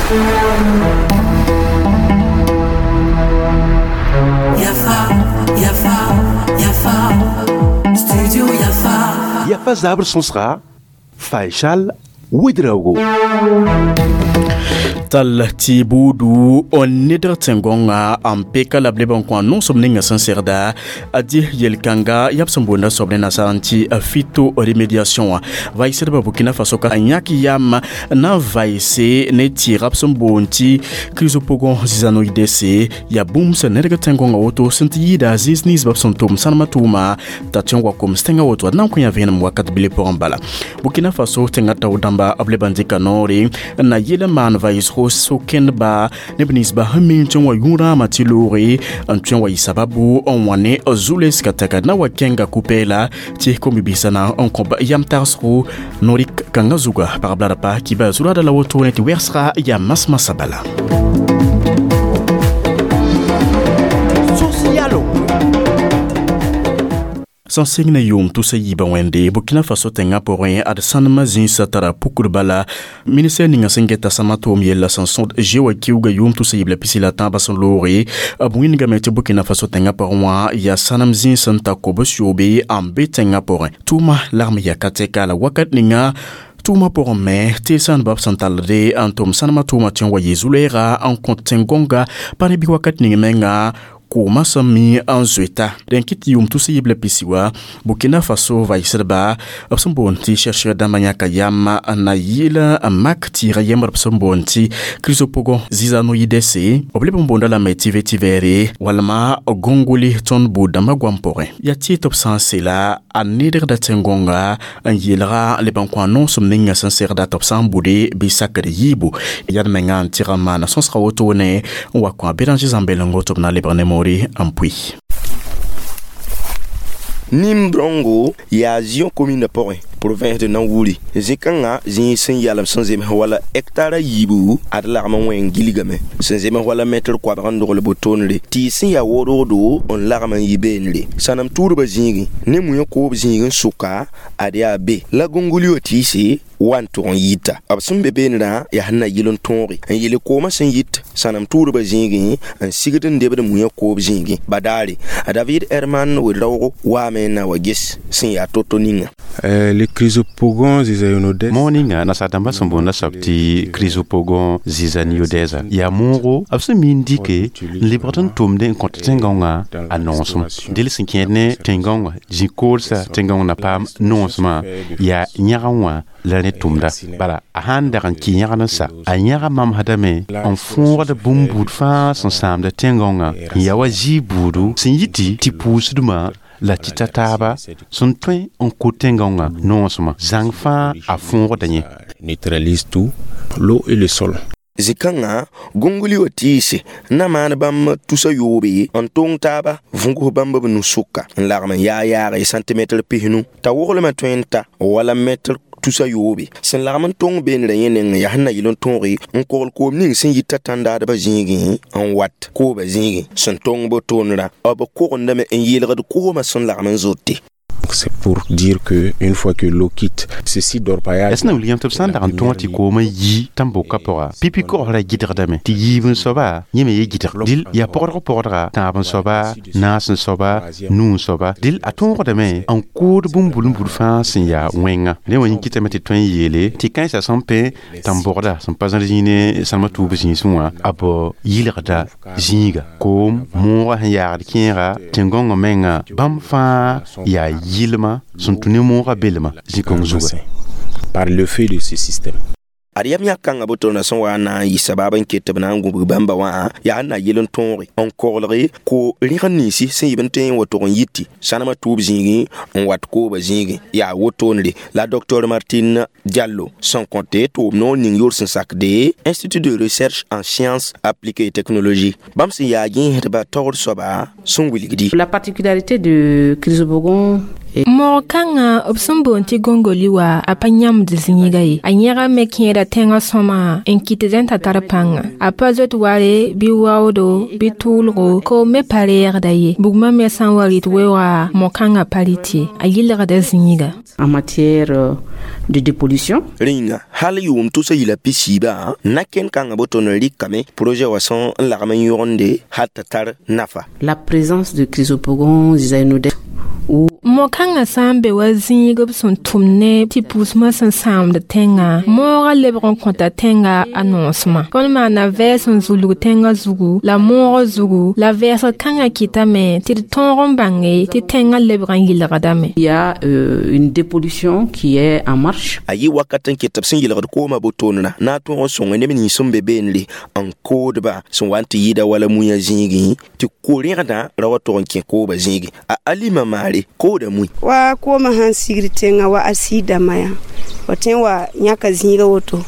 Yafa, Yafa, Yafa, Studio Yafa. Yafa zabr sõsga Faisal Ouedraogo. Tal tɩ buudu n nedg tẽn-gõngã n peka la b leb n kõ a noosem ninga sẽn segda a dɩ yel-kãnga yaa b sẽn boonda soab ne nasaar n tɩ phytoremédiation wã. Vaɩsdbã Burkina Faso ka yãk yam na n vaɩse ne tɩɩga b sẽn boond tɩ Chrysopogon zizanoïdes yaa bũmb sẽn nedg tẽn-gõngã woto sẽn tɩ yɩɩda zĩis ninsbã b sẽn tʋm sãnemã tʋʋma t'a tõe n wa koms tẽngã woto ad na n kõ yã vẽenem wakat bile pʋgẽ bala. Burkina Faso tẽngã tao dãmba b leb n dɩka noore n na yel n maan vaɩsgo so-kẽndba neb ninsba sẽn mi n tõe n wa yũ-rãamã tɩ looge n tõe n wa yɩ sababu n wã ne zu-lesga tɛka na wa kẽnga ku-pɛɛla tɩ kom-bi-biisã na n kõb yam tagsgo norik kãngã zuga pagb la d pa kiba zu-raada la wotone tɩ wɛgsga yaa mas-masã bala. Sẽn sɩng ne yʋʋm tusa yiibã wẽnde Burkina Faso tẽngã pʋgẽ ad sãnemã zĩisã tara pukr bala ministɛr ninga sẽn geta sãmã tʋʋm yella sẽn sõd zoe wã kiuga yʋʋm tusa yiib la pisi la tãabã sẽn looge b wĩndgame tɩ Burkina Faso tẽngã pʋgẽ wã yaa sãnem zĩis n ta kobs yoobe n be tẽngã pʋgẽ. Tʋʋma lagm yaa ka tɛka la wakat ninga tʋʋmã pʋgẽ me tɩ sãndbã b sẽn tallde n tʋm sãnemã tʋʋmã tõe n wa yɩ zu-lɛɛga n kõt tẽn-gõnga pa ne bɩ wakat ning menga koomã sẽn mi n zoeta. Dẽn kɩ tɩ yʋʋm tus yiib la pisi wã Burkina Faso vaɩsdba b sẽn boond tɩ chercheur dãmbã yãka yam n na yɩɩl n mak tɩɩga yembr b sẽn boond tɩ Chrysopogon zizanoïdes b leb n boonda lame tɩ vétivere walma gongoli tõnd buud-dãmbã goam pʋgẽ. Yaa tɩ tɩ b sã n sela a nedgda tẽn-gõnga n yeelga leb n kõ a noosem ninga sẽn segda tɩ b sã n bude bɩ sakd yiibu yad menga n tɩg n maana sõsga wotone n wa kõ a Béranger Zãmbelengo tɩ b na lebg ne moore n pʋɩ. Nim-brongo yaa Zion commune pʋgẽ province de Nawuri zĩ-kãngã zĩig sẽn yalem sẽn zems wala hectare yiibu ad lagm n wẽng gilgame sẽn zems wala mɛtr koabg n dogl botondre tɩɩs sẽn yaa wodgdo n lagm n yɩ beenre sãnem tuudbã zĩigẽ ne muyã koob zĩig n sʋka ad yaa be la gongoli wã tɩɩse wa n tʋg n yita b sẽn be beenrã yaa sẽn na yɩl n tõoge n yele koomã sẽn yit sãnem tuudbã zĩigẽ n sigd n debd muyã koob zĩigẽ badaare a David Herman Ouedraogo waame n na wa ges sẽn yaa to-to ninga. Le Chrysopogon zizaniodes Moog ninga nasaar-dãmbã sẽn boonda soab tɩ Chrysopogon zizaniodes yaa moogo b sẽn mi n dɩke n lebgd n tʋmde n kõt tẽn-gãongã a noosem del sẽn kẽed ne tẽn-gãongã zĩ-koolsa tẽn-gãong na paam noosmã yaa yãgã wã la rẽ tʋmda bala a sãn dag n kɩ yãgd n sa a yãga mamsdame n fõogd bũmb buud fãa sẽn sãamda tẽn-gãongã n yaa wa zɩɩ buudu sẽn yiti tɩ pʋʋsdmã la tɩ ta taaba sẽn tõe n kʋ tẽn-gãongã noosmã zãng fãa a fõogda yẽ. Neutralise tout, l'eau et le sol. Zĩ-kãngã gongli wã tɩɩse na maan bãmb tusa yoobe n tong taaba võgs bãmb b nu-sʋka n lagm n yaa yaage sãntimɛtr pisnu t'a woglmã tõe n ta wala mɛtr tusa yoobe sẽn lagm n tõng beenrã yẽ neng yaa sẽn na yɩl n tõoge n kogl koom ning sẽn yita tãndaadbã zĩigẽ n wat koobã zĩigẽ sẽn tõng bo-toonrã b kogendame n yeelgd koomã sẽn lagm n zote. C'est pour dire que une fois que l'eau quitte ce site d'orpaillage, Ya sẽn na wilg yãmb tɩ b sã n dag n tõog tɩ koomã yi tãn-bokã pʋga pipi kogsrã gɩdgdame tɩ yiib n soaba yẽ me ye gɩdg dɩl yaa pɔgdg pɔgdga tãab n soaba naas n soaba nuu n soaba dɩl a tõogdame n kood bũmb bul fãa sẽn yaa wẽnga rẽ wã yẽ kɩtame tɩ tõe n yeele tɩ kãensã sẽn pẽ tãn-bɔgda sẽn pa zãr zĩig ne sãnemã tuub zĩisẽ wã a bao yɩlgda zĩiga koom moogã sẽn yaagd kẽega tẽn-gõngã menga bãmb fãa yaa yɩlma sẽn tũ ne moogã belma zĩ-kõng zuga. Par le fait de ce système. Ad yam yãk kãngã botona sẽn wa n na n yɩ sabab n ket tɩ b na n gũbg bãmba wã yaa n na yɩl n tõoge n koglge ko rẽgd ninsi sẽn yɩb n tõe n wa tʋg n yiti sãnemã tuub zĩigẽ n wat koobã zĩigẽ yaa wotondre la Dr Martine Diallo sẽn kõte tʋʋm noor ning yor sẽn sakde Institut de recherche en sciences appliquées et technologie bãmb sẽn yaa gẽesdba taoor soaba sẽn wilgdi. La particularité de Chrysopogon Moog kãngã b sẽn boond tɩ gongoli wa a pa yãmd zĩiga ye a yẽgame kẽeda tẽngã sõma n kɩt tɩ t'a tar pãnga a pa zoet ware bɩ waoodo bɩ tʋʋlgo koom me pa reegda ye bugmã me sã n wa rɩt weooga mo-kãngã pa rɩt ye a yɩlgda zĩiga. En matière de dépollution. Rẽnga hal yʋʋm tʋsa yila pisiibã na-kẽnd kãngã boto n rɩkame projet wã sẽn n lagm n yõgende hal t'a tar nafa. La présence de Chrysopogon zizanioides. Mo-kãngã sã n be wa zĩig b sẽn tʋm ne tɩ pʋʋsmã sẽn sãamd tẽngã moogã lebg n kõta tẽnga a noosmã tõnd maana vɛɛs n zulg tẽngã zugu la moogã zugu la vɛɛsg kãngã kɩtame tɩ d tõog n bãnge tɩ tẽngã lebg n yɩlgdame. Il y a une dépollution qui est en marche. A yɩ wakat n ket tɩ b sẽn yɩlgd koomã botoonra na n tõog n sõnge neb nins sẽn be beenre n koodba sẽn wa n tɩ yɩɩda wala muya zĩigẽ tɩ ko-rẽgdã ra wa tog n kẽ koobã zĩigẽ a alima maare kooda mui. Wa koomã sãn sigd tẽngã wa asiid dãmbã yã wa tõe n wa yãka zĩiga woto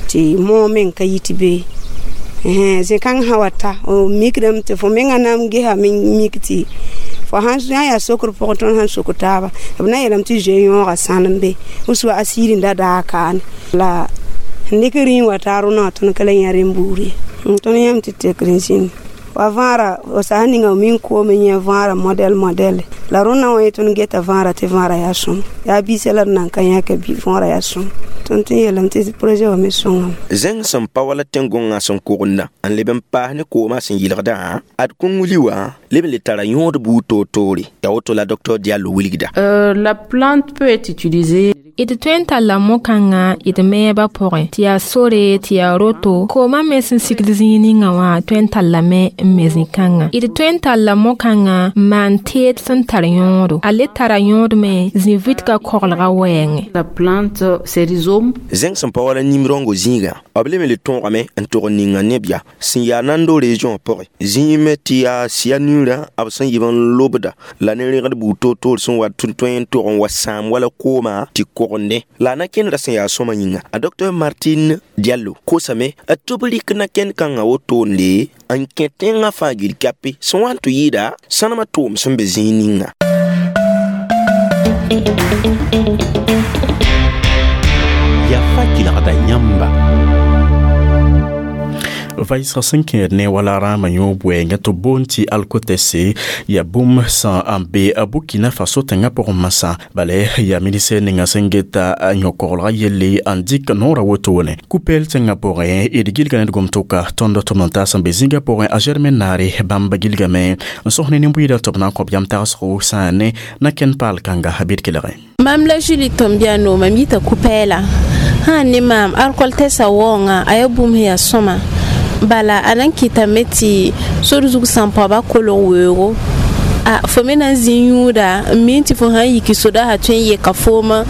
tɩ moog meng ka yit be zẽ-kãng sã wa ta mikdame tɩ fo mengã na n gesa mik tɩ fo sã yaa sokr pʋgẽ tõnd sãn sok taaba b na n yeelame tɩ zoe yõoga sãnem be b wa asiid n da daag kaane la n dɩk rĩig wa taa rõna wã tõnd ka la yã rẽnd buud ye tõnd yãmb tɩ tekr n zĩnd wa võora f sã n ninga min koom n yẽ võora modɛl modɛle la rõnda wã ye tõnd geta võora tɩ võora yaa sõm yaa biisã la d nan ka yãka võora yaa sõm tõnd tɩ yeelame tɩ projet wã me sõngame. Zẽng sẽn pa wala tẽn-gõngã sẽn kogenda n leb n paas ne koomã sẽn yɩlgdã ad kõng-wili wã leb n le tara yõod buud toor-toore yaa woto la docteur Diallo wilgda. La plante peut être utilisée. D tõe n talla mo-kãngã d meebã pʋgẽ tɩ yaa sore tɩ yaa roto koomã me sẽn sigd zĩig ninga wã tõe n tallame n me zĩ-kãngã d tõe n talla mo-kãngã n maan teed sẽn tar yõodo a le tara yõod me zĩ-vitka koglga wɛɛngẽ. La plante, ses rhizomes. Zẽng sẽn pa wala nim-rãongo zĩigã b leb n le tõogame n tog n ninga neb yaa sẽn yaa Nando région pʋgẽ zĩime tɩ yaa cyanure b sẽn yɩb n lobda la ne rẽgd buud toor-toor sẽn wa tɩ tõe n tog n wa sãam wala koomã tɩ kogende la a na-kẽndrã sẽn yaa sõma yĩnga a docteur Martine Diallo kosame tɩ b rɩk na-kẽnd kãngã wotoonde n kẽ tẽngã fãa gil kape sẽn wa n tɩ yɩɩda sãnemã tʋʋm sẽn be zĩig ninga. Yafa kelgda yãmba. Vaɩsg sẽn kẽed ne wala rãamã yõ bʋɛɛngã tɩ b boond tɩ alkotɛse yaa bũmb sã n be a Burkina Faso tẽngã pʋgẽ masã bala yaa ministɛr ninga sẽn geta yõ-koglgã yelle n dɩk noorã wotone Koupél tẽngã pʋgẽ d gilga ned gom-tʋka tõnd tʋm n taas n be zĩigã pʋgẽ a Germain Naare bãmb gilgame n sõs ne nin-buiidã tɩ b na n kõb yam tagsgo sã n ne na-kẽnd paal kãnga bɩ d kelgẽ. Mam la Julie Tombiano mam yita Koupéla sã ne maam alkol-tɛsã waoongã a yaa bũmb sẽn yaa sõma bala a na n kɩtame tɩ sor zug sã n paoba kolg weoogo a fo me na n zĩ yũuda n mii tɩ fo sã n yiki soda sã tõe n yeka foomã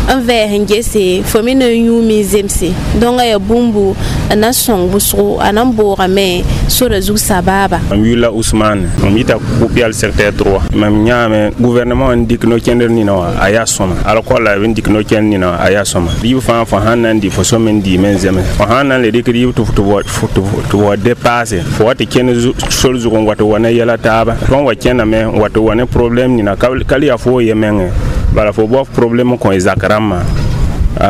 n vɛɛs n gese fo me na n yũume n zemse donc a yaa bũmbu a na n sõng wʋsgo a na n boogame sora zug sabaaba. Mam yʋla Ousmane, mam yita Kopial secteur 3. Mam yãame gouvernement n dɩk no-kẽndr nina wã a yaa sõma alkol la b n dɩk no-kẽnd nina wã a yaa sõma rɩɩb fãa fo sãn na n dɩ fo sõm n dɩɩme n zems fo sãn na n le dɩk rɩɩb tɩ wa dépasse fo wa tɩ kẽnd sor zug n wa tɩ wa ne yɛla taaba tõnd wa kẽndame n wa tɩ wa ne problème nina ka le yaa fo ye mengẽ bala fo bao problème kõ y zak rãmbã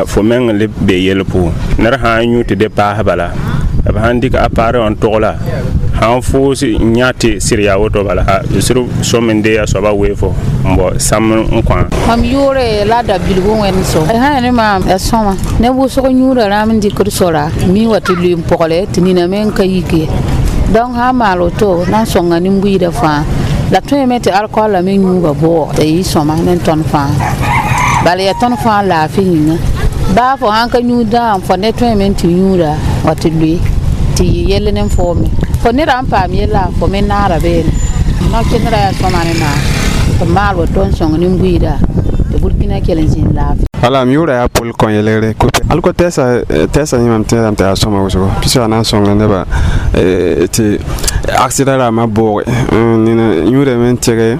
fo meng n le be yell pʋgẽ ned sã n yũ tɩ de paas bala b sãn dɩk appareil n togla sãn foos n yã tɩ sɩd yaa woto bala sɩd sõm n dee a soaba wee fo n bao sãm n kõ. Mam yʋʋre la da bilgu wẽnd so sã ne maam ya sõma neb wʋsg yũuda rãam n dɩkd sora mi wa tɩ lʋɩ n pɔgle tɩ nina me n ka yik ye donc sã n maal woto na n sõnga nin-buiidã fãa la tõeme tɩ alcool la me yũuga bʋʋg tɩ yɩ sõma ne tõnd fãa bala yaa tõnd fãa laafɩ yĩnga baa fo sãn ka yũud dãam fo ne tõeme tɩ yũuda wa tɩ lʋɩ tɩ yɩ yell ne foome fo neda n paam yella fo me naara beene no-kẽndrã yaa sõma ne maam tɩ maal woto n sõng nin-buiidã tɩ Burkina kell n zĩnd laafɩ. Wala m yʋʋra yaa Pol kõ yelgre alko tɛɛsa tɛɛsa yẽ mam tẽedame tɩ yaa sõma wʋsgo pis a na n sõnga nebã tɩ accident rãmbã booge nina yũudame n tɩge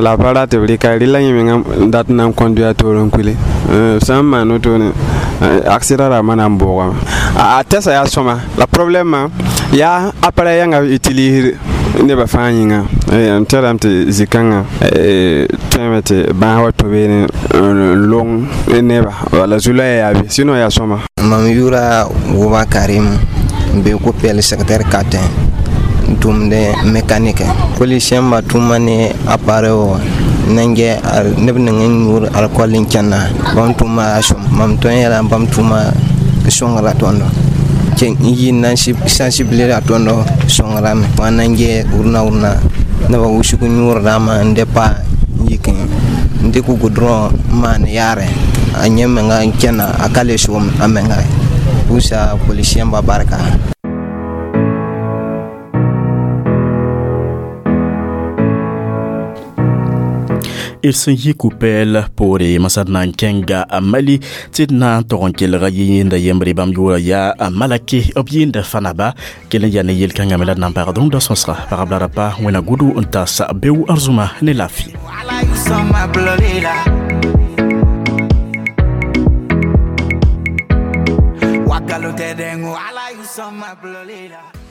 la pa rat b rɩka rɩla yẽ menga dat n na n conduit a toor n kule b sã n maan wotone accident rãmbã na n boogame a tɛsa yaa sõma la problème yaa appareil yãnga b utilisd. Nebã fãa yĩnga m tɛrame tɩ zĩ-kãngã tõeme tɩ bãas wa to beene n long neba wala zu-loɛɛ yaa be sinon yaa sõma. Mam yʋʋra Wʋba Karim, n be ko-pɛl secteur 4, n tʋmd mécanique. Policiẽmbã tʋma ne appareil wã nan gɛ neb ning n yũud alcool n kẽnna. Bãmb tʋma yaa sõm. Mam tõe n yeelame bãmb tʋma sõngra tõndo n yi n na n sensibiliser a tõndo sõngrame wã nan gɛ wʋrna wʋrna nebã wʋsg yũud rãmbã n de pa n yik n dɩk goudron n maan yaarẽ a yẽ menga n kẽna a ka le soom a menga pʋʋsa policiẽmbã barka. D sẽn yi kupɛɛl poore masad na n kẽnga a Mali tɩ d na n tog n kelga yɩɩnda yembre bãmb yʋʋra yaa a Malake, b yɩɩnda Fanaba. Kell n yaa ne yel-kãngã me la d na n pagd rũndã sõsga pagb la rapa wẽna gudu n tas beo arzũma ne laafɩ. Wakalo tedengo ala yusoma blolila.